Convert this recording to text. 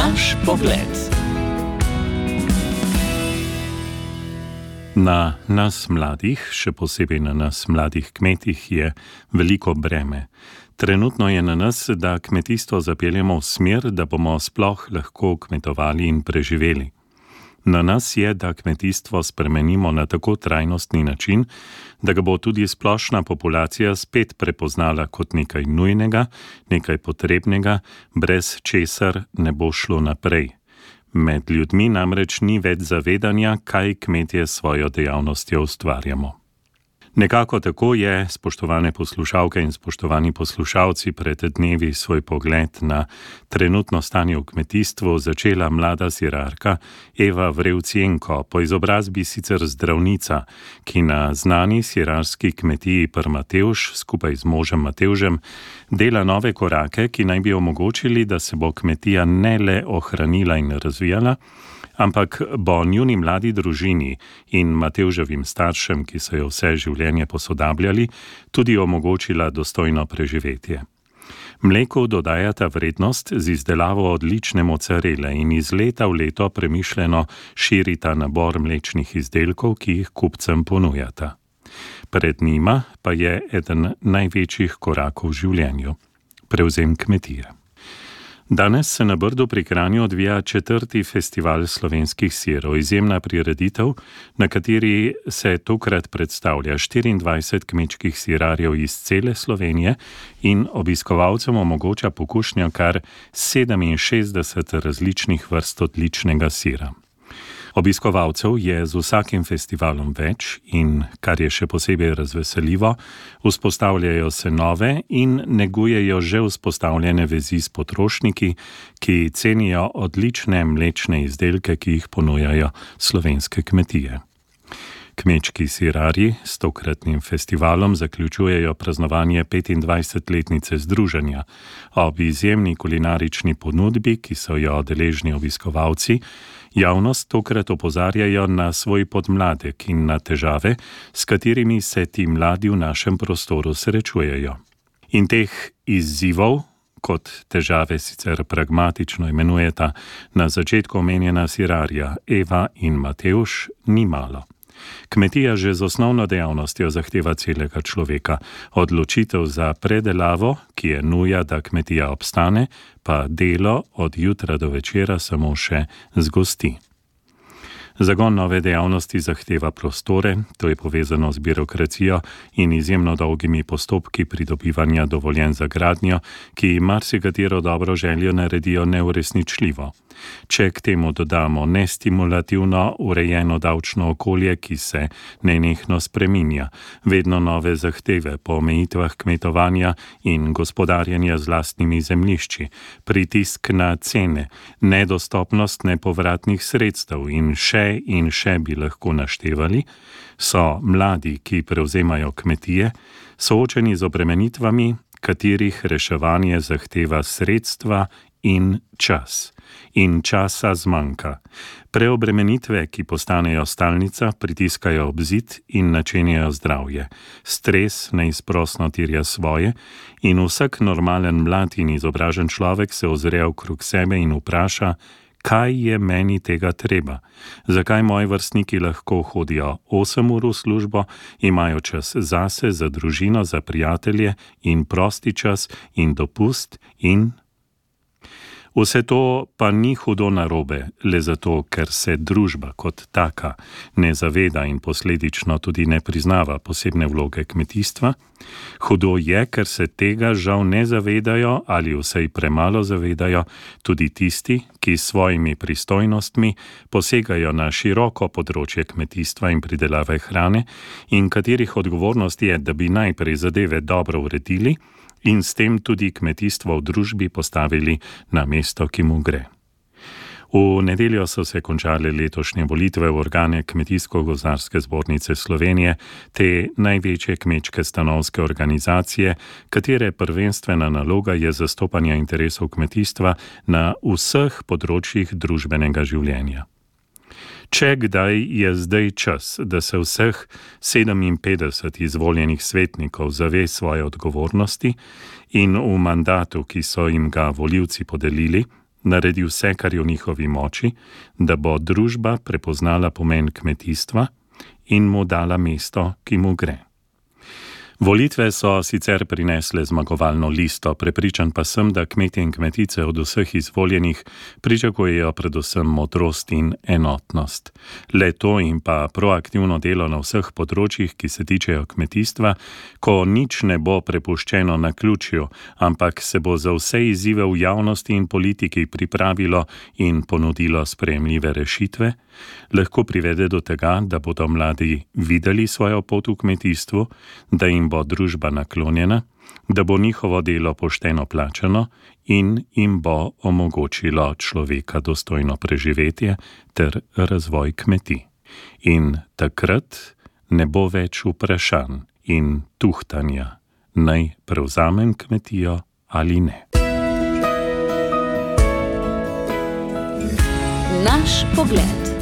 Naš pogled. Na nas mladih, še posebej na nas mladih kmetih, je veliko breme. Trenutno je na nas, da kmetijstvo zapeljemo v smer, da bomo sploh lahko kmetovali in preživeli. Na nas je, da kmetijstvo spremenimo na tako trajnostni način, da ga bo tudi splošna populacija spet prepoznala kot nekaj nujnega, nekaj potrebnega, brez česar ne bo šlo naprej. Med ljudmi namreč ni več zavedanja, kaj kmetje s svojo dejavnostjo ustvarjamo. Nekako tako je, spoštovane poslušalke in spoštovani poslušalci, pred dnevi svoj pogled na trenutno stanje v kmetijstvu začela mlada sirarka Eva Vrevcienko, po izobrazbi sicer zdravnica, ki na znani sirarski kmetiji Prmatevž skupaj z možem Matevžem dela nove korake, ki naj bi omogočili, da se bo kmetija ne le ohranila in razvijala, ampak bo njuni mladi družini in Matevževim staršem, ki so jo vse življenje posodabljali, tudi omogočila dostojno preživetje. Mleku dodajata vrednost z izdelavo odlične mocarele in iz leta v leto premišljeno širita nabor mlečnih izdelkov, ki jih kupcem ponujata. Pred njima pa je eden največjih korakov v življenju – prevzem kmetije. Danes se na Brdu pri Kranju odvija 4. festival slovenskih sirov, izjemna prireditev, na kateri se tokrat predstavlja 24 kmečkih sirarjev iz cele Slovenije in obiskovalcem omogoča pokušnjo kar 67 različnih vrst odličnega sira. Obiskovalcev je z vsakim festivalom več in, kar je še posebej razveseljivo, vzpostavljajo se nove in negujejo že vzpostavljene vezi s potrošniki, ki cenijo odlične mlečne izdelke, ki jih ponujajo slovenske kmetije. Kmečki sirarji s tokratnim festivalom zaključujejo praznovanje 25-letnice združenja. Ob izjemni kulinarični ponudbi, ki so jo deležni obiskovalci, javnost tokrat opozarjajo na svoj podmladek in na težave, s katerimi se ti mladi v našem prostoru srečujejo. In teh izzivov, kot težave sicer pragmatično imenujeta na začetku omenjena sirarja Eva in Matevž, ni malo. Kmetija že z osnovno dejavnostjo zahteva celega človeka, odločitev za predelavo, ki je nuja, da kmetija obstane, pa delo od jutra do večera samo še zgosti. Zagon nove dejavnosti zahteva prostore, to je povezano z birokracijo in izjemno dolgimi postopki pridobivanja dovoljenj za gradnjo, ki marsikatero dobro željo naredijo neuresničljivo. Če k temu dodamo nestimulativno urejeno davčno okolje, ki se nenehno spreminja, vedno nove zahteve po omejitvah kmetovanja in gospodarjenja z lastnimi zemljišči, pritisk na cene, nedostopnost nepovratnih sredstev in še bi lahko naštevali, so mladi, ki prevzemajo kmetije, soočeni z obremenitvami, katerih reševanje zahteva sredstva in čas. In časa zmanjka. Preobremenitve, ki postanejo stalnica, pritiskajo ob zid in načenjajo zdravje. Stres neizprosno terja svoje in vsak normalen mlad in izobražen človek se ozre okrog sebe in vpraša, kaj je meni tega treba? Zakaj moji vrstniki lahko hodijo 8 ur v službo, imajo čas zase, za družino, za prijatelje in prosti čas in dopust in... Vse to pa ni hudo narobe, le zato, ker se družba kot taka ne zaveda in posledično tudi ne priznava posebne vloge kmetijstva. Hudo je, ker se tega žal ne zavedajo ali vsaj premalo zavedajo tudi tisti, ki s svojimi pristojnostmi posegajo na široko področje kmetijstva in pridelave hrane in katerih odgovornost je, da bi najprej zadeve dobro uredili in s tem tudi kmetijstvo v družbi postavili na mesto, ki mu gre. V nedeljo so se končale letošnje volitve v organe Kmetijsko-gozdarske zbornice Slovenije, te največje kmečke stanovske organizacije, katere prvenstvena naloga je zastopanje interesov kmetijstva na vseh področjih družbenega življenja. Če kdaj je zdaj čas, da se vseh 57 izvoljenih svetnikov zave svoje odgovornosti in v mandatu, ki so jim ga volivci podelili, naredi vse, kar je v njihovi moči, da bo družba prepoznala pomen kmetijstva in mu dala mesto, ki mu gre. Volitve so sicer prinesle zmagovalno listo, prepričan pa sem, da kmetje in kmetice od vseh izvoljenih pričakujejo predvsem modrost in enotnost. Le to in pa proaktivno delo na vseh področjih, ki se tičejo kmetijstva, ko nič ne bo prepuščeno naključju, ampak se bo za vse izzive v javnosti in politiki pripravilo in ponudilo sprejemljive rešitve, lahko privede do tega, da bodo mladi videli svojo pot v kmetijstvu, da jim bo družba naklonjena, da bo njihovo delo pošteno plačano in jim bo omogočilo človeka dostojno preživetje ter razvoj kmetij. In takrat ne bo več vprašanj in tuhtanja, naj prevzamem kmetijo ali ne. Naš pogled.